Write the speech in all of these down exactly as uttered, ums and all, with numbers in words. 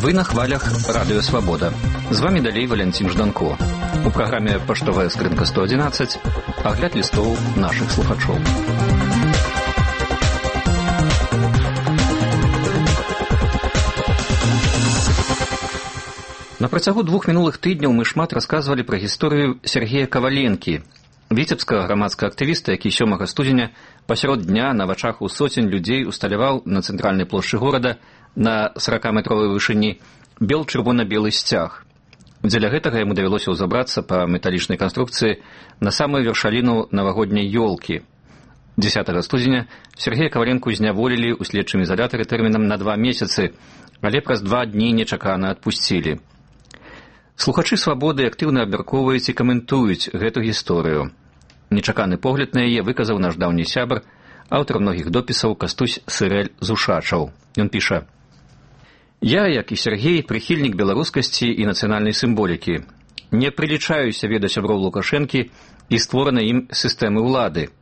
Вы на хвалях Радио Свобода. З вами далей Валентин Жданко. У праграме «Паштовая скрынка сто одиннадцать» агляд лістоў нашых слухачоў. На працягу двух мінулых тыдняў мы шмат расказвалі пра гісторыю Сергея Каваленкі, віцебскага грамадскага актывіста, які сёмага студзеня пасярод дня на вачах у соцень людзей усталяваў на цэнтральнай плошчы горада на сорокаметровай вышыні бел-чырвона-белы сцяг. Дзеля гэтага яму давялося ўзабрацца па металічнай канструкцыі на самую вяршаліну навагодняй ёлкі. дзесятага студзеня Сергея Каваленку зняволілі ў следчым ізалятары тэрмінам на два месяцы, але праз два дні нечакана адпусцілі. Слухачы «Свабоды» актыўна абмяркоўваюць і каментуюць гэту гісторыю. Нечаканы погляд на яе выказаў наш даўні сябар, аўтар многіх допісаў Кастусь Сырэль з Ушачаў. Ён піша: «Я, як і Сергей, прыхільнік беларускасці і нацыянальнай сімволікі. Не прылічаюся веда сяброў Лукашэнкі і створанай ім сістэмы ўлады,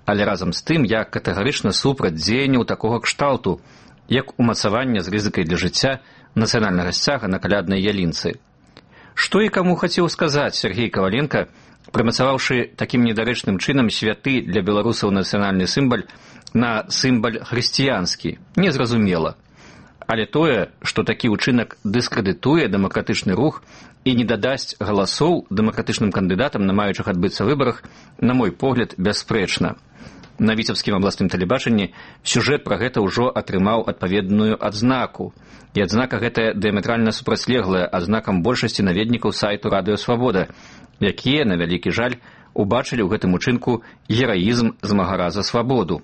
але разам з тым я катэгарычна супраць дзеянняў такога кшталту, як умацаванне з рызыкай для жыцця нацыянальнага сцяга на каляднай ялінцы. Што і каму хацеў сказаць Сергей Каваленка, прымацаваўшы такім недарэчным чынам святы для беларусаў нацыянальны сімбаль на сімбаль хрысціянскі, незразумела. Але тое, што такі ўчынак дыскрэдытуе дэмакратычны рух і не дадасць галасоў дэмакратычным кандыдатам на маючых адбыцца выбарах, на мой погляд, бясспрэчна. На віцебскім абласным тэлебачанні сюжэт пра гэта ўжо атрымаў адпаведную адзнаку. І адзнака гэтая дыяметральна супрацьлеглая адзнакам большасці наведнікаў сайту Радыё Свабода, якія, на вялікі жаль, убачылі ў гэтым учынку гераізм змагара за свабоду.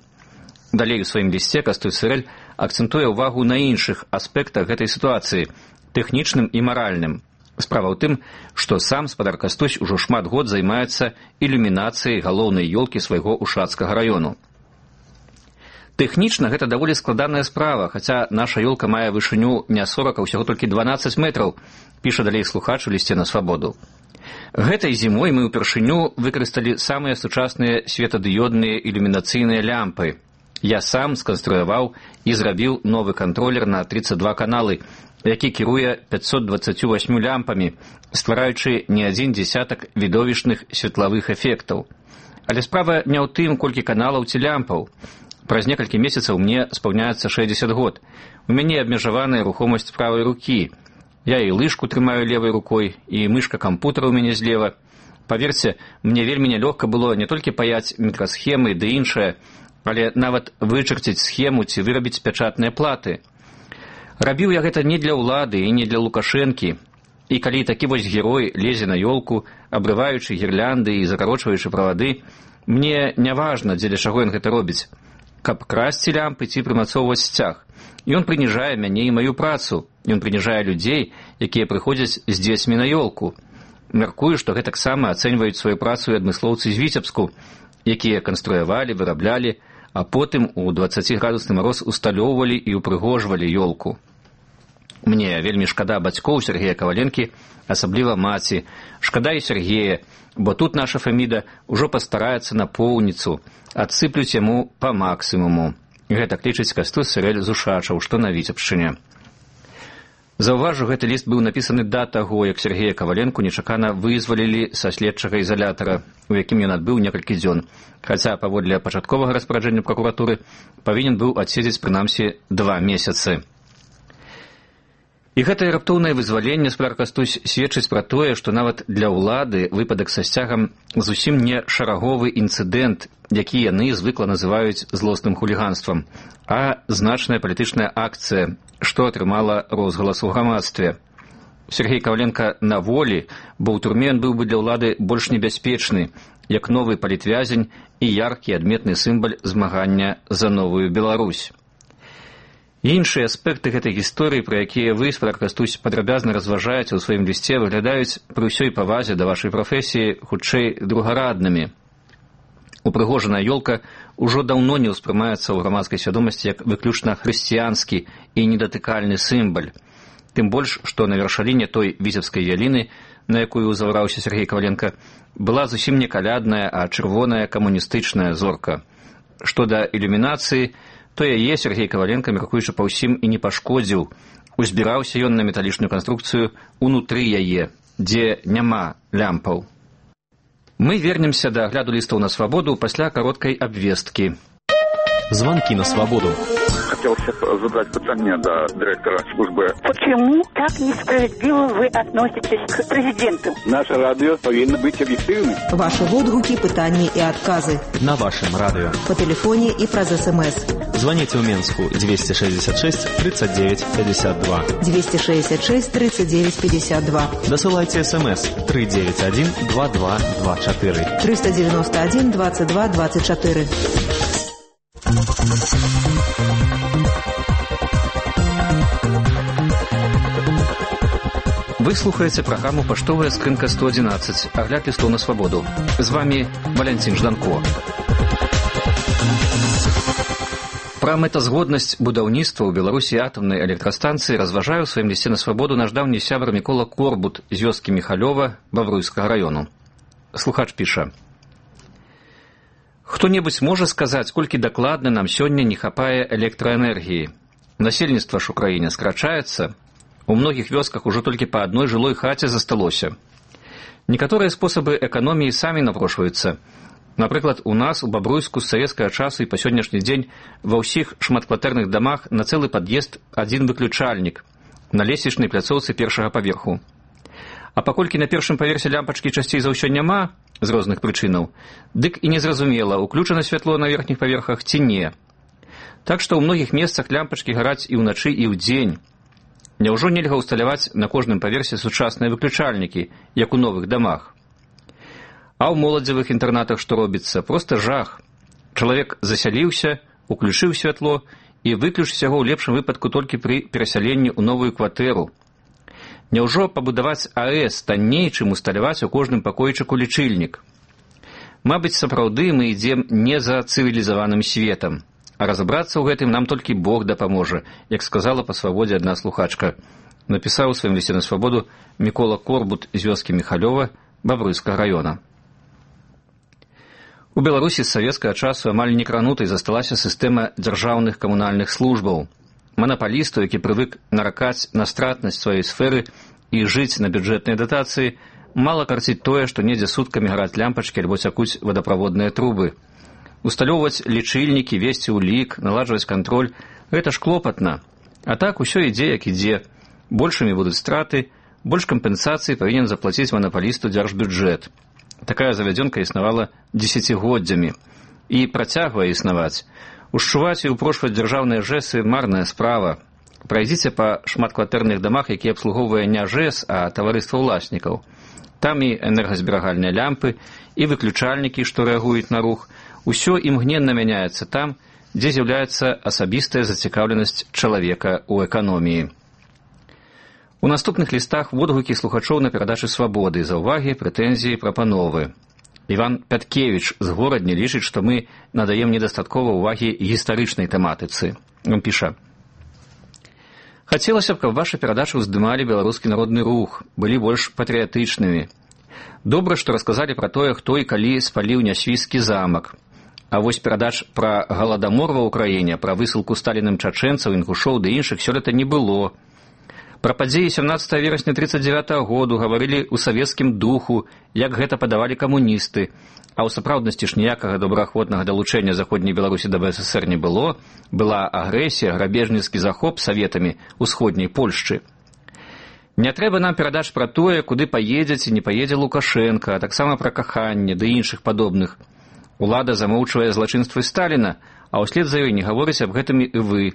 Далей у сваім лісце Кастусь Сырэль акцэнтуе ўвагу на іншых аспектах гэтай сітуацыі, тэхнічным і маральным. Справа ў тым, што сам спадар Кастусь ужо шмат год займаецца ілюмінацыяй галоўнай ёлкі свайго Ушацкага раёну. Тэхнічна гэта даволі складаная справа, хаця наша ёлка мае вышыню не сорок, а ўсяго толькі дванаццаць метраў, піша далей слухач у лісце на Свабоду. Гэтай зімой мы ўпершыню выкарысталі самыя сучасныя светадыёдныя ілюмінацыйныя лямпы. Я сам сканструяваў і зрабіў новы кантролер на тридцать два каналы, які кіруе пятьсот двадцатью восьмю лямпамі, ствараючы не адзін дзесятак відовішчных светлавых эфектаў. Але справа не ў тым, колькі каналаў ці лямпаў. Праз некалькі месяцаў мне спаўняецца шэсцьдзесят год. У мяне абмежаваная рухомасць правай рукі. Я і лыжку трымаю левай рукой, і мышка кампутара ў мяне злева. Паверце, мне вельмі нялёгка было не толькі паяць мікрасхемы ды іншае, але нават вычарціць схему ці вырабіць пячатныя платы. Рабіў я гэта не для ўлады і не для Лукашэнкі. І калі такі вось герой лезе на ёлку, абрываючы гірлянды і закарочваючы правады, мне не важна, дзеля чаго ён гэта робіць. Каб красці лямпы ці прымацоўваць сцяг. Ён прыніжае мяне і маю працу. Ён прыніжае людзей, якія прыходзяць з дзецьмі на ёлку. Мяркую, што гэтаксама ацэньваюць сваю працу і адмыслоўцы з Віцебску, якія канструявалі, выраблялі, а потым у дваццаціградусны мароз усталёўвалі і ўпрыгожвалі ёлку. Мне вельмі шкада бацькоў Сергея Каваленкі, асабліва маці. Шкада і Сергея, бо тут наша фаміда ўжо пастараецца на поўніцу, адсыплюць яму па максімуму. Гэтак лічыць Кастусь Сырэль з Ушачаў, што на Віцебшчыне. Заўважу, гэты ліст быў напісаны да таго, як Сергея Каваленку нечакана вызвалілі са следчага ізалятара, у якім ён адбыў некалькі дзён, хаця паводле пачатковага распараджэння пракуратуры павінен быў адседзець прынамсі два месяцы. І гэтае раптоўнае вызваленне, спадар Кастусь, сведчыць пра тое, што нават для ўлады выпадак са сцягам зусім не шараговы інцыдэнт, які яны звыкла называюць злосным хуліганствам, а значная палітычная акцыя, што атрымала розгалас у грамадстве. Сергей Каваленка на волі, бо ў турме ён быў бы для ўлады больш небяспечны, як новы палітвязень і яркі адметны сімбаль змагання за новую Беларусь. Іншыя аспекты гэтай гісторыі, пра якія вы, спадар Кастусь, падрабязна разважаеце ў сваім лісце, выглядаюць пры ўсёй павазе да вашай прафесіі хутчэй другараднымі. Упрыгожаная ёлка ўжо даўно не ўспрымаецца ў грамадскай свядомасці як выключна хрысціянскі і недатыкальны сімбаль. Тым больш, што на вяршаліне той віцебскай яліны, на якую ўзаўраўся Сергей Каваленка, была зусім не калядная, а чырвоная камуністычная зорка. Што да ілюмінацыі, то яе Сергей Каваленка, мяркуючы па ўсім, і не пашкодзіў, Узбіраўся ён на металічную канструкцыю унутры яе, дзе няма лямпаў. Мы вернемся да агляду лістаў на свабоду пасля кароткай абвесткі. Звонки на свободу. Хотел задать питание до директора службы. Почему так несправедливо вы относитесь к президенту? Наше радио повинно быть объективным. Ваши отгуки, пытания и отказы. На вашем радио. По телефоне и праз СМС. Звоните в Минску двести шестьдесят шесть тридцать девять пятьдесят два. двести шестьдесят шесть тридцать девять пятьдесят два. Досылайте СМС три девять один два два два четыре. триста девяносто один двадцать два двадцать четыре. Вы слухаеце праграму «Паштовая скрынка сто одиннадцать», агляд лістоў на свабоду. З вами Валянцін Жданко. Пра мэтазгоднасць будаўніцтва ў Беларусі атамнай электрастанцыі разважае ў сваім лісце на свабоду наш даўні сябар Мікола Корбут з вёскі Міхалёва Бавруйскага раёну. Слухач піша: «Хто-небудзь можа сказаць, колькі дакладна нам сёння не хапае электраэнергіі? Насельніцтва ж у краіне скрачаецца. У многіх вёсках ужо толькі па адной жылой хаце засталося. Некаторыя спосабы эканоміі самі напрошваюцца. Напрыклад, у нас у Бабруйску з савецкага часу і па сённяшні дзень ва ўсіх шматкватэрных дамах на цэлы пад'езд адзін выключальнік на лесвічнай пляцоўцы першага паверху. А паколькі на першым паверсе лямпачкі часцей за ўсё няма з розных прычынаў, дык і незразумела, уключана святло на верхніх паверхах ці не. Так што ў многіх месцах лямпачкі гараць і ўначы, і ўдзень. Няўжо нельга ўсталяваць на кожным паверсе сучасныя выключальнікі, як у новых дамах? А ў моладзевых інтэрнатах што робіцца? Проста жах. Чалавек засяліўся, уключыў святло і выключыць яго ў лепшым выпадку толькі пры перасяленні ў новую кватэру. Няўжо пабудаваць АЭС танней, чым усталяваць у кожным пакойчыку лічыльнік? Мабыць, сапраўды мы ідзем не за цывілізаваным светам. А разабрацца ў гэтым нам толькі Бог дапаможа, як сказала па свабодзе адна слухачка. Напісаў у сваім лісце на свабоду Мікола Корбут з вёскі Міхалёва Бавруйскага раёна. У Беларусі з савецкага часу амаль некранутай засталася сістэма дзяржаўных камунальных службаў. Манапалісту, які прывык наракаць на стратнасць сваёй сферы і жыць на бюджэтнай датацыі, мала карціць тое, што недзе суткамі гараць лямпачкі альбо цякуць вадаправодныя трубы. Усталёўваць лічыльнікі, весці ўлік, наладжваць кантроль – гэта ж клопатна. А так усё ідзе, як ідзе. Большымі будуць страты, больш кампенсацыі павінен заплаціць манапалісту дзяржбюджэт. Такая завядзёнка існавала дзесяцігоддзямі. І працягвае існаваць. Ушчуваць і ўпрошваць дзяржаўныя жэсы – марная справа. Прайдзіце па шматкватэрных дамах, якія абслугоўвае не жэс, а таварыства ўласнікаў. Там і энергазберагальныя лямпы, і выключальнікі, што рэагуюць на рух. Усё імгненна мяняецца там, дзе з'яўляецца асабістая зацікаўленасць чалавека ў эканоміі. У наступных лістах водгукі слухачоў на перадачы свабоды, заўвагі, прэтэнзіі, прапановы. Іван Пяткевіч з горадні лічыць, што мы надаем недастаткова ўвагі гістарычнай тэматыцы. Ён піша: «Хацелася б, каб вашы перадачы ўздымалі беларускі народны рух, былі больш патрыятычнымі. Добра, што расказалі пра тое, хто і калі спаліў нясвійскі замак. А вось перадач пра галадамор ва ўкраіне, пра высылку сталіным чачэнцаў, інгушоў ды іншых сёлета не было. Пра падзеі сямнаццатага верасня трыццаць дзявятага году гаварылі ў савецкім духу, як гэта падавалі камуністы. А ў сапраўднасці ж ніякага добраахвотнага далучэння заходняй Беларусі да БССР не было. Была агрэсія, грабежніцкі захоп саветамі ўсходняй Польшчы. Не трэба нам перадач пра тое, куды паедзе ці не паедзе Лукашенка, а таксама пра каханне ды іншых падобных. Улада замоўчвае злачынствы Сталіна, а ўслед за ёй не гаворыць аб гэтым і вы.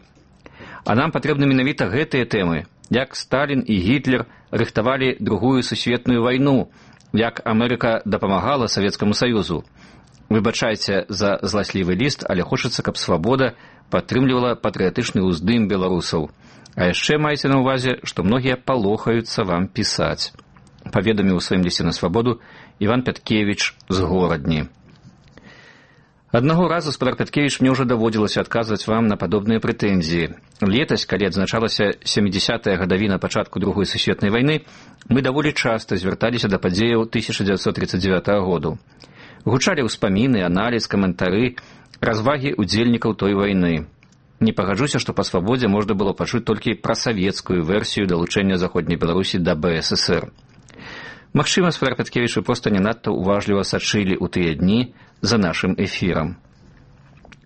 А нам патрэбны менавіта гэтыя тэмы, як Сталін і Гітлер рыхтавалі другую сусветную вайну, як Амерыка дапамагала Савецкаму Саюзу. Выбачайце за зласлівы ліст, але хочацца, каб свабода падтрымлівала патрыятычны ўздым беларусаў. А яшчэ майце на ўвазе, што многія палохаюцца вам пісаць. Паведаміў у сваім лісце на свабоду Іван Пяткевіч з горадні. Аднаго разу, спадар Пяткевіч, мне ўжо даводзілася адказваць вам на падобныя прэтэнзіі. Летась, калі адзначалася сямідзесятая гадавіна пачатку другой сусветнай вайны, мы даволі часта звярталіся да падзеяў тысяча дзевяцьсот трыццаць дзевятага году. Гучалі ўспаміны, аналіз, каментары, развагі ўдзельнікаў той вайны. не пагаджуся, што па свабодзе можна было пачуць толькі пра савецкую версію далучэння заходняй Беларусі да бэ эс эсэр. Магчыма, Святар Пяткевіч, вы проста не надта уважліва сачылі ў тыя дні за нашым эфірам.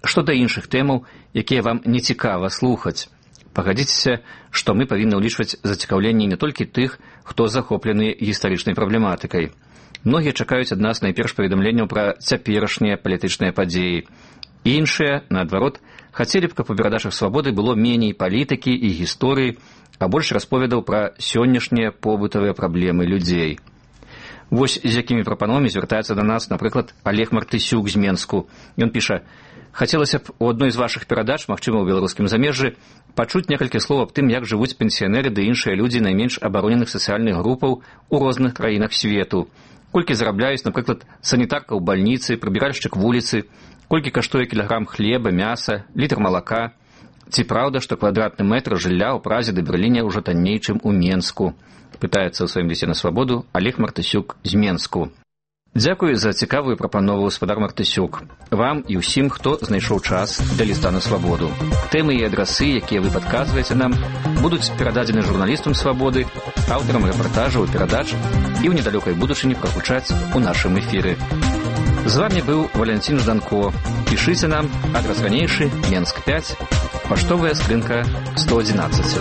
Што да іншых тэмаў, якія вам не цікава слухаць, пагадзіцеся, што мы павінны ўлічваць зацікаўленне не толькі тых, хто захоплены гістарычнай праблематыкай. Многія чакаюць ад нас найперш паведамленняў пра цяперашнія палітычныя падзеі. Іншыя, наадварот, хацелі б, каб у перадачах свабоды было меней палітыкі і гісторыі, а больш расповедаў пра сённяшнія побытавыя праблемы людзей. Вось з якімі прапановамі звяртаецца да нас, напрыклад, Олег Мартысюк з Менску. Ён піша: «Хацелася б у адной з вашых перадач, магчыма, у беларускім замежжы, пачуць некалькі слоў аб тым, як жывуць пенсіянеры ды іншыя людзі найменш абароненых сацыяльных групаў у розных краінах свету. Колькі зарабляюць, напрыклад, санітарка ў бальніцы, прыбіральшчык вуліцы, колькі каштуе кілаграм хлеба, мяса, літр малака. Ці праўда, што квадратны метр жылля ў Празе ды Берліне ўжо танней, чым у Менску?» Пытаецца ў сваім лісце на свабоду Олег Мартысюк з Менску. Дзякую за цікавую прапанову, Святар Мартысюк. Вам і ўсім, хто знайшоў час для ліста на свабоду. Тэмы і адрасы, якія вы падказваеце нам, будуць перададзены журналістам свабоды, аўтарам рэпартажаў і перадач і ў недалёкай будучыні прагучаць у нашым эфіры. З вами быў Валянцін Жданко. Пішыце нам, адрас ранейшы, Менск пяць, паштовая скрынка сто адзінаццаць.